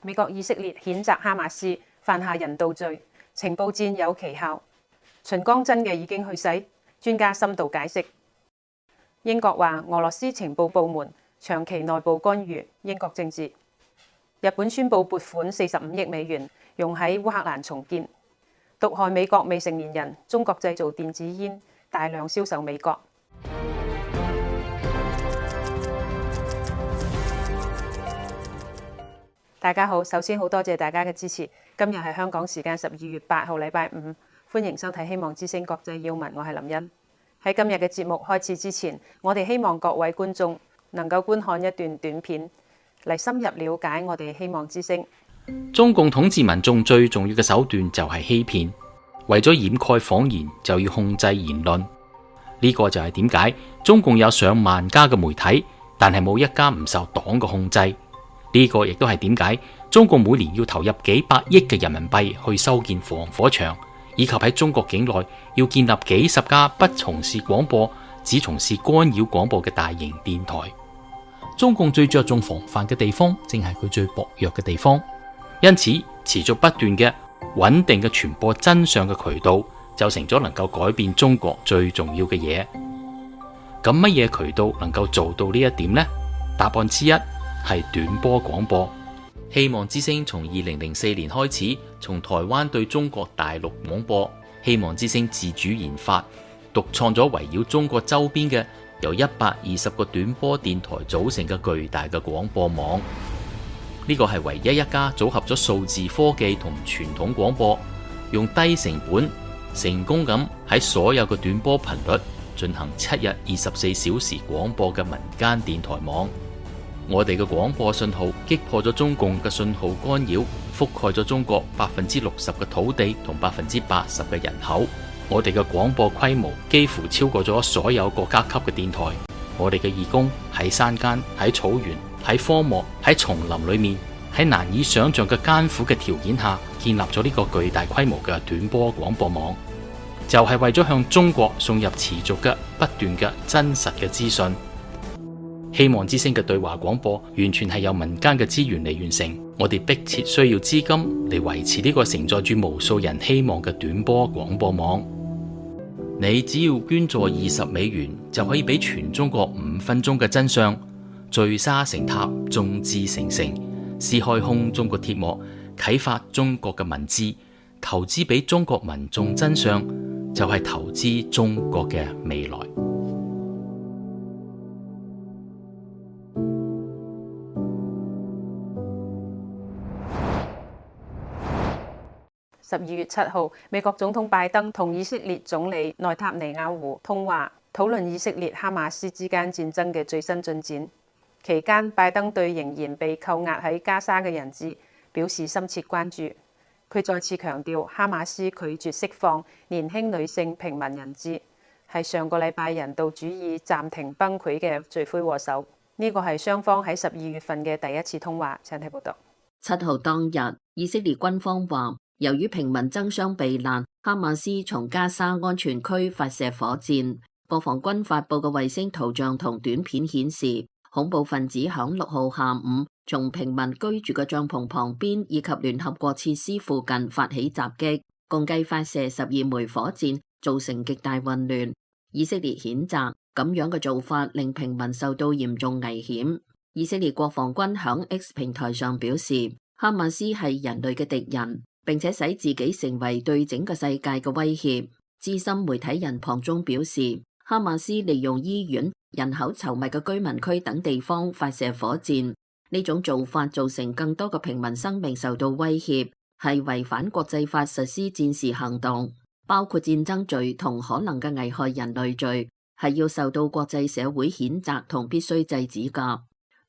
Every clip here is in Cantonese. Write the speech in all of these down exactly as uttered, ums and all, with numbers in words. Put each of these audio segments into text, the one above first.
美國以色列譴責哈馬斯犯下人道罪，情報戰有奇效。秦剛真嘅已經去世？專家深度解釋。英國話俄羅斯情報部門長期內部干預英國政治。日本宣布撥款四十五億美元用喺烏克蘭重建。毒害美國未成年人，中國製造電子煙大量銷售美國。大家好，首先好多謝大家嘅支持。今日係香港時間十二月八號禮拜五，歡迎收睇希望之聲國際要聞，我係林茵。喺今日嘅節目開始之前，我哋希望各位觀眾能夠觀看一段短片，嚟深入了解我哋希望之聲。中共統治民眾最重要嘅手段就係欺騙，為咗掩蓋謊言就要控制言論。呢個就係點解中共有上萬家嘅媒體，但係冇一家唔受黨嘅控制。呢個亦都係點解中共每年要投入幾百億嘅人民幣去修建防火牆，以及喺中國境內要建立幾十家不從事廣播，只從事干擾廣播嘅大型電台。中共最着重防範嘅地方，正係佢最薄弱嘅地方。因此，持續不斷嘅穩定嘅傳播真相嘅渠道，就成咗能夠改變中國最重要嘅嘢。咁乜嘢渠道能夠做到呢一點呢？答案之一係短波廣播。希望之聲從二零零四年開始，從台灣對中國大陸廣播。希望之聲自主研發、獨創咗圍繞中國周邊嘅由一百二十個短波電台組成嘅巨大嘅廣播網。呢個係唯一一家組合咗數字科技同傳統廣播，用低成本成功咁喺所有嘅短波頻率進行七日二十四小時廣播嘅民間電台網。我哋嘅廣播信號擊破咗中共嘅信號干擾，覆蓋咗中國百分之六十嘅土地同百分之八十嘅人口。我哋嘅廣播規模幾乎超過咗所有國家級嘅電台。我哋嘅義工喺山間、喺草原、喺荒漠、喺叢林裏面，喺難以想象嘅艱苦嘅條件下，建立咗呢個巨大規模嘅短波廣播網，就係為咗向中國送入持續嘅、不斷嘅、真實嘅資訊。希望之聲嘅對話廣播完全係由民間嘅資源嚟完成，我哋迫切需要資金嚟維持呢個承載住無數人希望嘅短波廣播網。你只要捐助二十美元，就可以俾全中國五分鐘嘅真相，聚沙成塔，眾志成城，撕開空中國鐵幕，啟發中國嘅文字，投資俾中國民眾真相，就係投資中國嘅未來。十二月七號，美國總統拜登同以色列總理內塔尼亞胡通話，討論以色列哈馬斯之間戰爭嘅最新進展。期間，拜登對仍然被扣押喺加沙嘅人質表示深切關注。佢再次強調，哈馬斯拒絕釋放年輕女性平民人質，係上個禮拜人道主義暫停崩潰嘅罪魁禍首。呢個係雙方喺十二月份嘅第一次通話。請睇報道。七號當日，以色列軍方話，由於平民爭相避難，哈馬斯從加沙安全區發射火箭。國防軍發佈嘅衛星圖像同短片顯示，恐怖分子響六號下午從平民居住嘅帳篷旁邊以及聯合國設施附近發起襲擊，共計發射十二枚火箭，造成極大混亂。以色列譴責咁樣嘅做法令平民受到嚴重危險。以色列國防軍響 X 平台上表示，哈馬斯係人類嘅敵人，並且使自己成為對整個世界嘅威脅。資深媒體人龐中表示，哈馬斯利用醫院、人口稠密嘅居民區等地方發射火箭，呢種做法造成更多嘅平民生命受到威脅，係違反國際法實施戰時行動，包括戰爭罪同可能嘅危害人類罪，係要受到國際社會譴責同必須制止㗎。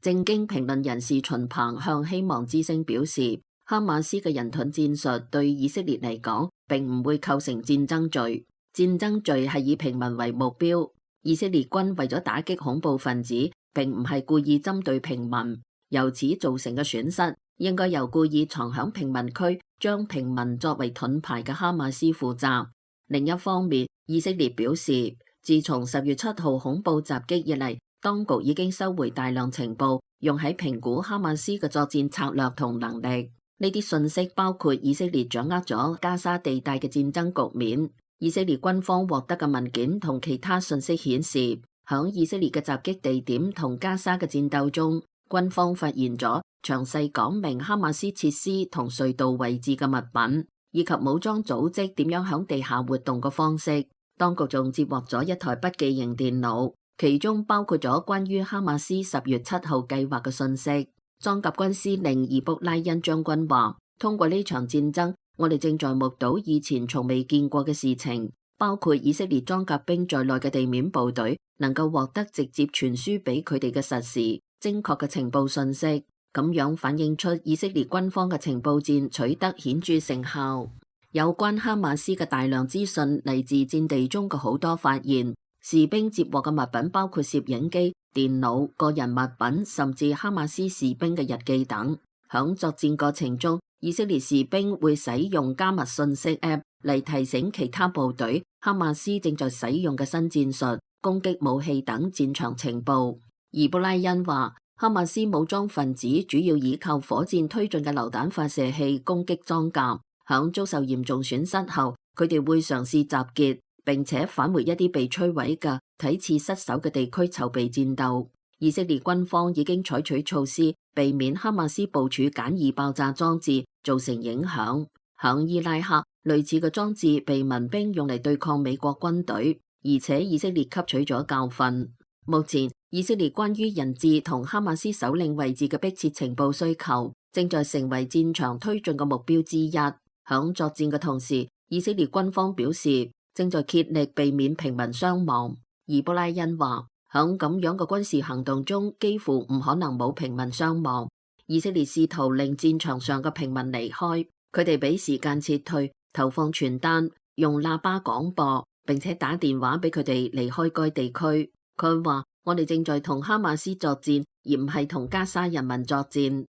正經評論人士秦鵬向希望之聲表示，哈馬斯嘅人盾戰術對以色列嚟講，並唔會構成戰爭罪。戰爭罪係以平民為目標。以色列軍為咗打擊恐怖分子，並唔係故意針對平民，由此造成嘅損失，應該由故意藏響平民區，將平民作為盾牌嘅哈馬斯負責。另一方面，以色列表示，自從十月七號恐怖襲擊以嚟，當局已經收回大量情報，用喺評估哈馬斯嘅作戰策略同能力。呢啲信息包括以色列掌握咗加沙地帶嘅戰爭局面。以色列軍方獲得嘅文件同其他信息顯示，響以色列嘅襲擊地點同加沙嘅戰鬥中，軍方發現咗詳細講明哈馬斯設施同隧道位置嘅物品，以及武裝組織點樣響地下活動嘅方式。當局仲接獲咗一台筆記型電腦，其中包括咗關於哈馬斯十月七號計劃嘅信息。裝甲軍司令易卜拉欣將軍話：通過呢場戰爭，我哋正在目睹以前從未見過嘅事情，包括以色列裝甲兵在內嘅地面部隊能夠獲得直接傳輸俾佢哋嘅實時、精確嘅情報信息，咁樣反映出以色列軍方嘅情報戰取得顯著成效。有關哈馬斯嘅大量資訊嚟自戰地中嘅好多發現，士兵接獲嘅物品包括攝影機、電腦、個人物品，甚至哈馬斯士兵嘅日記等。響作戰過程中，以色列士兵會使用加密信息 App 嚟提醒其他部隊哈馬斯正在使用嘅新戰術、攻擊武器等戰場情報。易卜拉欣話，哈馬斯武裝分子主要依靠火箭推進嘅榴彈發射器攻擊裝甲，響遭受嚴重損失後，佢哋會嘗試集結，並且返回一啲被摧毀嘅睇似失守嘅地區籌備戰鬥。以色列軍方已經採取措施，避免哈馬斯部署簡易爆炸裝置造成影響。響伊拉克，類似嘅裝置被民兵用嚟對抗美國軍隊，而且以色列吸取咗教訓。目前，以色列關於人質同哈馬斯首領位置嘅迫切情報需求，正在成為戰場推進嘅目標之一。響作戰嘅同時，以色列軍方表示正在竭力避免平民傷亡。易卜拉欣話，響咁樣嘅軍事行動中，幾乎唔可能冇平民傷亡。以色列試圖令戰場上嘅平民離開，佢哋俾時間撤退，投放傳單，用喇叭廣播，並且打電話俾佢哋離開該地區。佢話：我哋正在同哈馬斯作戰，而唔係同加沙人民作戰。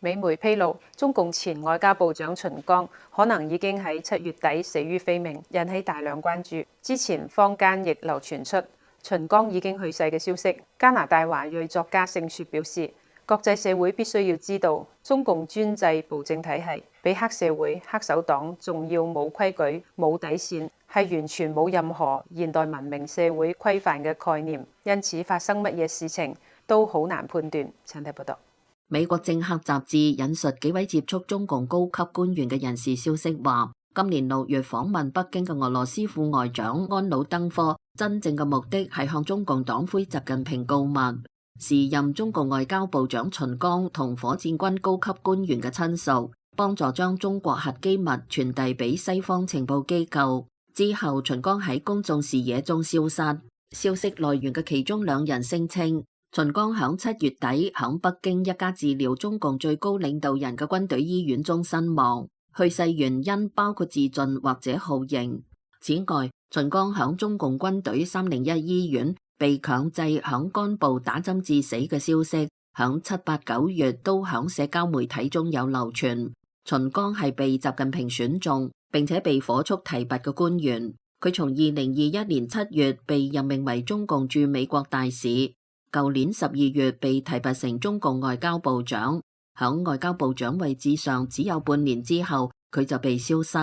美媒披露，中共前外交部長秦剛可能已經喺七月底死於非命，引起大量關注。之前坊間亦流傳出秦剛已經去世嘅消息。加拿大華裔作家盛雪表示，國際社會必須要知道，中共專制暴政體系比黑社會、黑手黨仲要冇規矩、冇底線，係完全冇任何現代文明社會規範嘅概念，因此發生乜嘢事情都好難判斷。請睇報道。美國政客雜誌引述幾位接觸中共高級官員嘅人士消息話，今年六月訪問北京嘅俄羅斯副外長安魯登科，真正嘅目的係向中共黨魁習近平告密。時任中共外交部長秦剛同火箭軍高級官員嘅親屬，幫助將中國核機密傳遞俾西方情報機構。之後，秦剛喺公眾視野中消失。消息來源嘅其中兩人聲稱，秦剛響七月底響北京一家治療中共最高領導人嘅軍隊醫院中身亡，去世原因包括自盡或者酷刑。此外，秦剛響中共軍隊三零一醫院被強制響肝部打針致死嘅消息，響七八九月都響社交媒體中有流傳。秦剛係被習近平選中並且被火速提拔嘅官員，佢從二零二一年七月被任命為中共駐美國大使。舊年十二月被提拔成中共外交部長，響外交部長位置上只有半年之後，佢就被消失。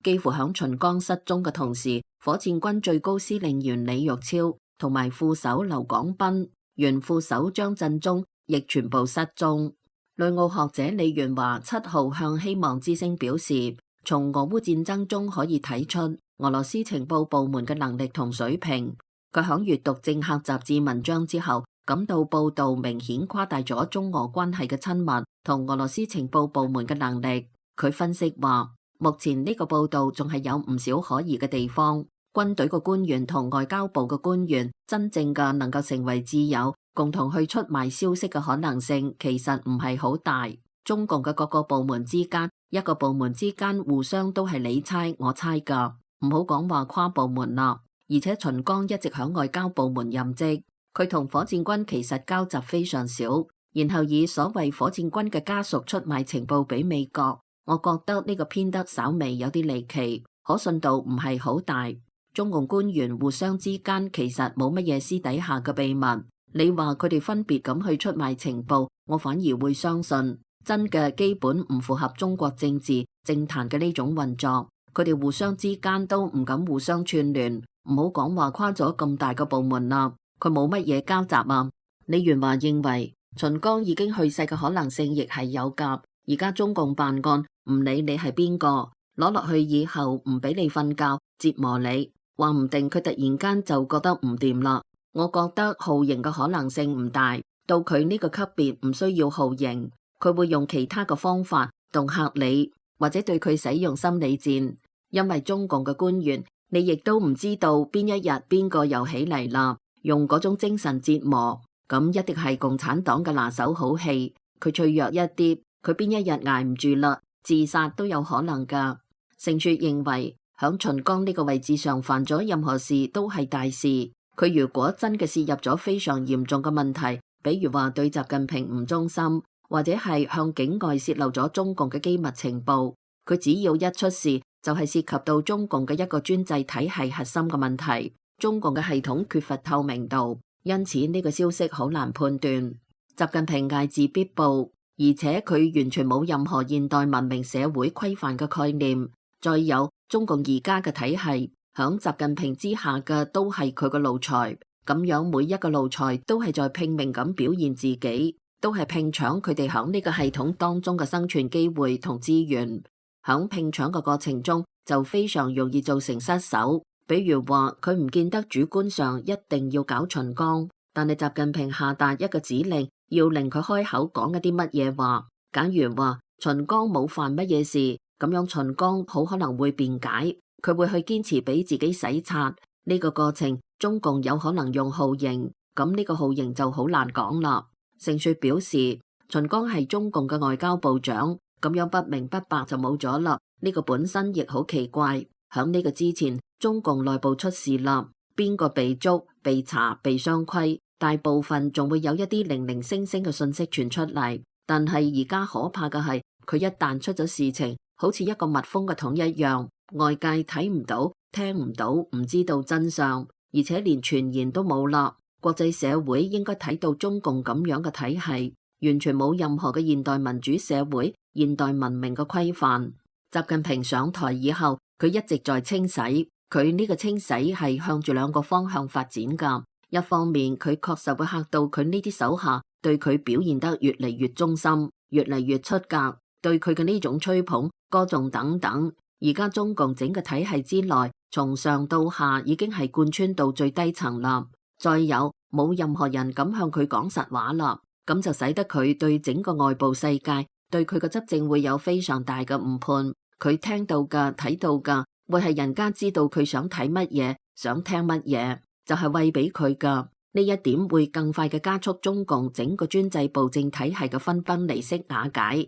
幾乎響秦剛失蹤嘅同時，火箭軍最高司令員李玉超同埋副手劉廣斌、原副手張振中亦全部失蹤。內澳學者李元華七號向希望之聲表示，從俄烏戰爭中可以睇出俄羅斯情報部門嘅能力同水平。佢響閱讀政客雜誌文章之後，感到報道明顯誇大咗中俄關係嘅親密同俄羅斯情報部門嘅能力。佢分析話，目前呢個報道仲係有唔少可疑嘅地方。軍隊嘅官員同外交部嘅官員真正嘅能夠成為摯友，共同去出賣消息嘅可能性其實唔係好大。中共嘅各個部門之間，一個部門之間互相都係你猜我猜噶，唔好講話跨部門啦。而且秦剛一直響外交部門任職。佢同火箭軍其實交集非常少，然後以所謂火箭軍嘅家屬出賣情報俾美國，我覺得呢個偏得稍微有啲離奇，可信度唔係好大。中共官員互相之間其實冇乜嘢私底下嘅秘密。你話佢哋分別咁去出賣情報，我反而會相信真嘅基本唔符合中國政治政壇嘅呢種運作。佢哋互相之間都唔敢互相串聯，唔好講話跨咗咁大個部門啦，佢冇乜嘢交集啊。李元華認為秦剛已經去世嘅可能性亦係有㗎。而家中共辦案唔理你係邊個，攞落去以後唔俾你瞓覺，折磨你，話唔定佢突然間就覺得唔掂啦。我覺得酷刑嘅可能性唔大，到佢呢個級別唔需要酷刑，佢會用其他嘅方法恫嚇你，或者對佢使用心理戰。因為中共嘅官員，你亦都唔知道邊一日邊個又起嚟啦，用嗰種精神折磨，咁一定係共產黨嘅拿手好戲。佢脆弱一啲，佢邊一日捱唔住啦，自殺都有可能噶。盛雪認為響秦剛呢個位置上犯咗任何事都係大事。佢如果真嘅涉入咗非常嚴重嘅問題，比如話對習近平唔忠心，或者係向境外洩漏咗中共嘅機密情報，佢只要一出事就係涉及到中共嘅一個專制體系核心嘅問題。中共嘅系統缺乏透明度，因此呢個消息好難判斷。習近平睚眥必報，而且佢完全冇任何現代文明社會規範嘅概念。再有中共而家嘅體系，響習近平之下嘅都係佢嘅奴才，咁樣每一個奴才都係在拼命咁表現自己，都係拼搶佢哋響呢個系統當中嘅生存機會同資源。響拼搶嘅過程中就非常容易造成失手。比如話佢唔見得主觀上一定要搞秦剛，但係習近平下達一個指令，要令佢開口講一啲乜嘢話。假如話秦剛冇犯乜嘢事，咁樣秦剛好可能會辯解，佢會去堅持俾自己洗刷。呢個過程中共有可能用酷刑，咁呢個酷刑就好難講啦。盛雪表示秦剛係中共嘅外交部長，咁樣不明不白就冇咗啦，呢個本身亦好奇怪。響呢個之前中共內部出事啦，邊個被捉被查被雙規，大部分仲會有一啲零零星星嘅信息傳出嚟。但係而家可怕嘅係佢一旦出咗事情，好似一個密封嘅桶一樣，外界睇唔到聽唔到，唔知道真相，而且連傳言都冇啦。國際社會應該睇到中共咁樣嘅體系完全冇任何嘅現代民主社會現代文明嘅規範。習近平上台以後，佢一直在清洗，佢呢個清洗係向住兩個方向發展噶。一方面佢確實會嚇到佢呢啲手下對佢表現得越嚟越忠心，越嚟越出格，對佢嘅呢種吹捧歌頌等等。而家中共整個體系之內，從上到下已經係貫穿到最低層啦。再有冇任何人敢向佢講實話啦，咁就使得佢對整個外部世界對佢嘅執政會有非常大嘅誤判。佢聽到噶睇到噶會係人家知道佢想睇乜嘢想聽乜嘢，就係餵俾佢噶。呢一點會更快嘅加速中共整個專制暴政體系嘅分崩離析瓦解。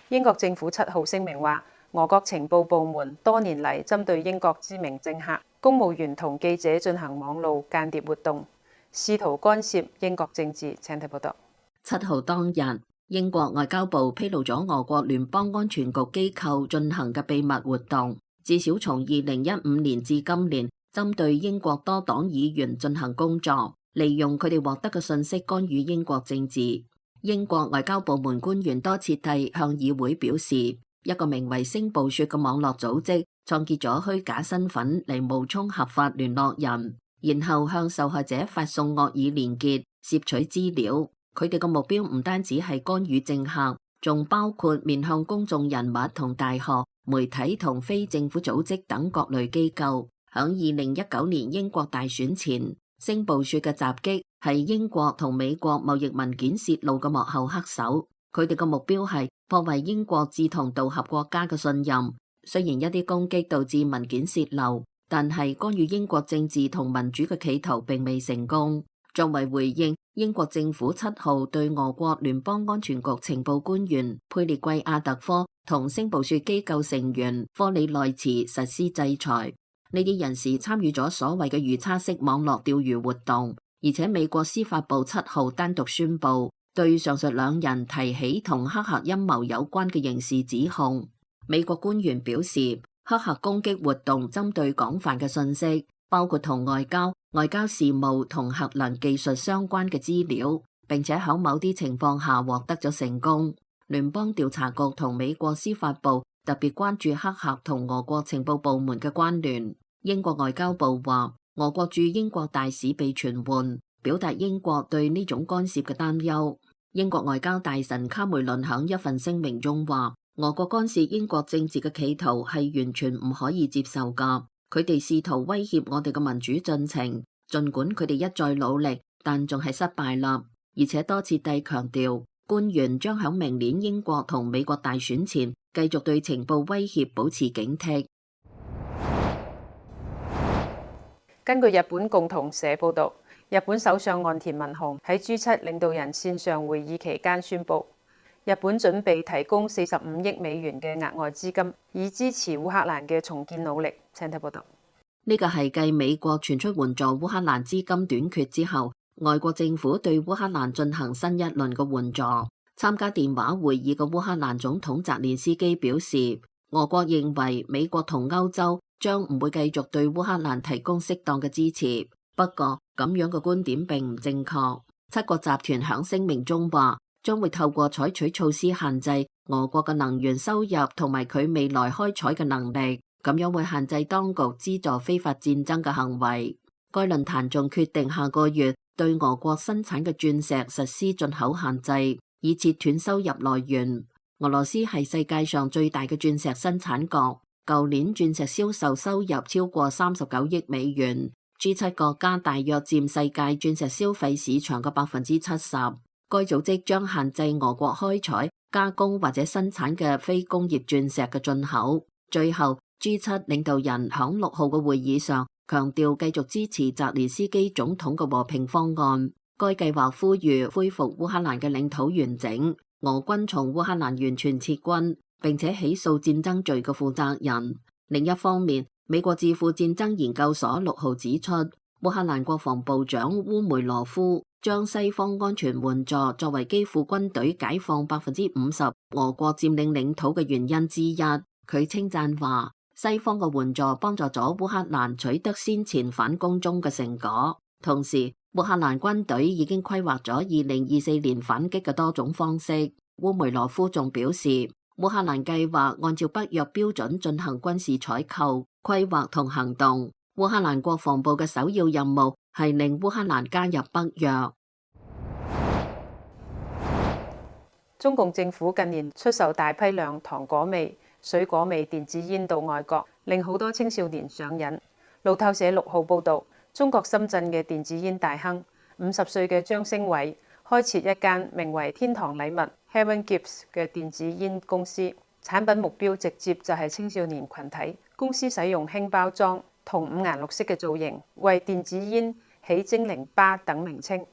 英國政府七號聲明話，俄國情報部門多年嚟針對英國知名政客、公務員同記者進行網路間諜活動，試圖干涉英國政治。請睇報道。七號當日，英國外交部披露咗俄國聯邦安全局機構進行嘅秘密活動，至少從二零一五年至今年，針對英國多黨議員進行工作，利用佢哋獲得嘅信息干預英國政治。英國外交部門官員多次地向議會表示，一個名為星暴雪嘅網絡組織創建咗虛假身份嚟冒充合法聯絡人，然後向受害者發送惡意連結，攝取資料。佢哋嘅目標唔單止係干預政客，仲包括面向公眾人物同大學、媒體同非政府組織等各類機構。響二零一九年英國大選前，星暴雪嘅襲擊係英國同美國貿易文件洩露嘅幕後黑手。佢哋嘅目標係破壞英國志同道合國家嘅信任。雖然一啲攻擊導致文件洩漏，但係干預英國政治同民主嘅企圖並未成功。作為回應，英國政府七號對俄國聯邦安全局情報官員佩列季亞特科同星暴雪機構成員科里內茨實施制裁。呢啲人士參與咗所謂嘅預測式網絡釣魚活動，而且美國司法部七號單獨宣布對上述兩人提起同黑客陰謀有關嘅刑事指控。美國官員表示，黑客攻擊活動針對廣泛嘅信息，包括同外交、外交事務同核能技術相關嘅資料，並且喺某啲情況下獲得咗成功。聯邦調查局同美國司法部特別關注黑客同俄國情報部門嘅關聯。英國外交部話，俄國駐英國大使被傳喚，表達英國對呢種干涉嘅擔憂。英國外交大臣卡梅倫喺一份聲明中話，俄國干涉英國政治嘅企圖係完全唔可以接受噶，佢哋試圖威脅我哋嘅民主進程，儘管佢哋一再努力，但仲係失敗啦。而且多次地強調，官員將喺明年英國同美國大選前繼續對情報威脅保持警惕。根據日本共同社報導，日本首相岸田文雄喺 G 七領導人線上會議期間宣布，日本準備提供四十五億美元嘅額外資金，以支持烏克蘭嘅重建努力。請睇報導。呢個係繼美國傳出援助烏克蘭資金短缺之後，外國政府對烏克蘭進行新一輪嘅援助。參加電話會議嘅烏克蘭總統澤連斯基表示，俄國認為美國同歐洲將唔會繼續對烏克蘭提供適當嘅支持。不過咁樣嘅觀點並唔正確。七國集團響聲明中話，將會透過採取措施限制俄國嘅能源收入同埋佢未來開採嘅能力，咁樣會限制當局資助非法戰爭嘅行為。該論壇仲決定下個月對俄國生產嘅鑽石實施進口限制，以切斷收入來源。俄羅斯係世界上最大嘅鑽石生產國，舊年鑽石銷售收入超過三十九億美元。G 七國家大約佔世界鑽石消費市場嘅百分之七十。該組織將限制俄國開採、加工或者生產嘅非工業鑽石嘅進口。最後 G 七領導人響六號嘅會議上強調繼續支持澤連斯基總統嘅和平方案。該計劃呼籲恢復烏克蘭嘅領土完整，俄軍從烏克蘭完全撤軍，並且起訴戰爭罪嘅負責人。另一方面，美國智庫戰爭研究所六號指出，烏克蘭國防部長烏梅羅夫將西方安全援助作為基輔軍隊解放百分之五十俄國佔領領土嘅原因之一。佢稱讚話，西方嘅援助幫助咗烏克蘭取得先前反攻中嘅成果，同時烏克蘭軍隊已經規劃咗二零二四年反擊嘅多種方式。烏梅羅夫仲表示，烏克蘭計劃按照北約標準進行軍事採購、規劃同行動。烏克蘭國防部嘅首要任務係令烏克蘭加入北約。中共政府近年出售大批量糖果味、水果味電子煙到外國，令好多青少年上癮。路透社六號報導，中國深圳嘅電子煙大亨五十歲嘅張升偉開設一間名為天堂禮物 Heaven Gifts 嘅電子煙公司，產品目標直接就係青少年群體。公司使用輕包裝同五顏六色嘅造型，為電子煙起精靈巴等名稱，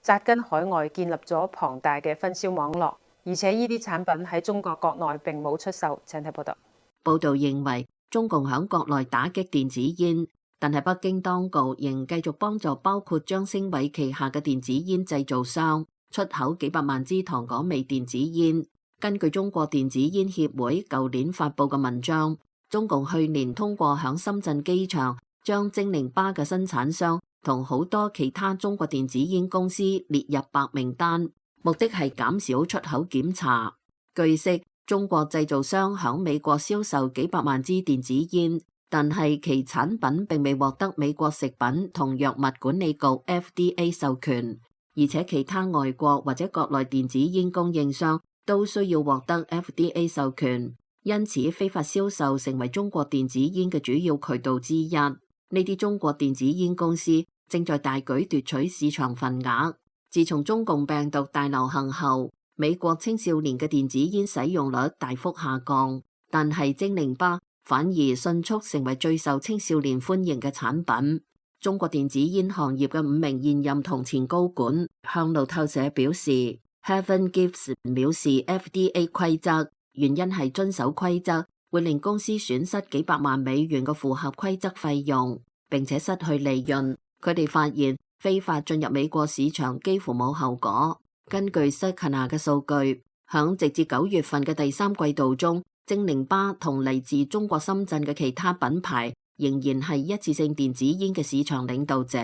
扎根海外建立咗龐大嘅分銷網絡。而且呢啲產品喺中國國內並冇出售。請睇報道。報道認為，中共響國內打擊電子煙，但係北京當局仍繼續幫助包括張升偉旗下嘅電子煙製造商出口幾百萬支糖果味電子煙。根據中國電子煙協會舊年發佈嘅文章，中共去年通過響深圳機場將精靈巴嘅生產商同好多其他中國電子煙公司列入白名單，目的係減少出口檢查。據悉，中國製造商響美國銷售幾百萬支電子煙，但係其產品並未獲得美國食品同藥物管理局 F D A 授權，而且其他外國或者國內電子煙供應商都需要獲得 F D A 授權，因此非法銷售成為中國電子煙嘅主要渠道之一。呢啲中國電子煙公司正在大舉奪取市場份額。自從中共病毒大流行後，美國青少年嘅電子煙使用率大幅下降，但係精靈巴反而迅速成為最受青少年歡迎嘅產品。中國電子煙行業嘅五名現任同前高管向路透社表示，Heaven Gifts 藐視 F D A 規則，原因係遵守規則會令公司損失幾百萬美元嘅符合規則費用，並且失去利潤。佢哋發現非法進入美國市場幾乎冇後果。根據 Circana 嘅數據，響直至九月份嘅第三季度中，正寧巴同嚟自中國深圳嘅其他品牌仍然係一次性電子煙嘅市場領導者。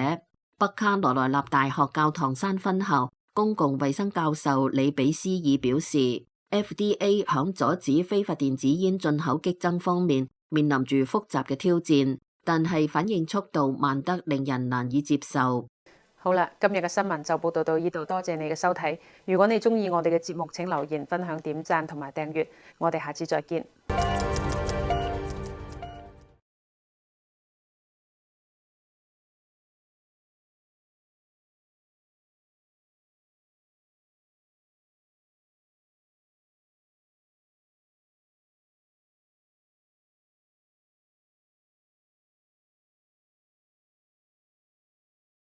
北卡羅來納大學教堂山分校公共衛生教授李比斯爾表示 ，F D A 響阻止非法電子煙進口激增方面面臨住複雜嘅挑戰，但係反應速度慢得令人難以接受。好啦，今日嘅新聞就報道到呢度，多謝你嘅收睇。如果你中意我哋嘅節目，請留言、分享、點讚同埋訂閱。我哋下次再見。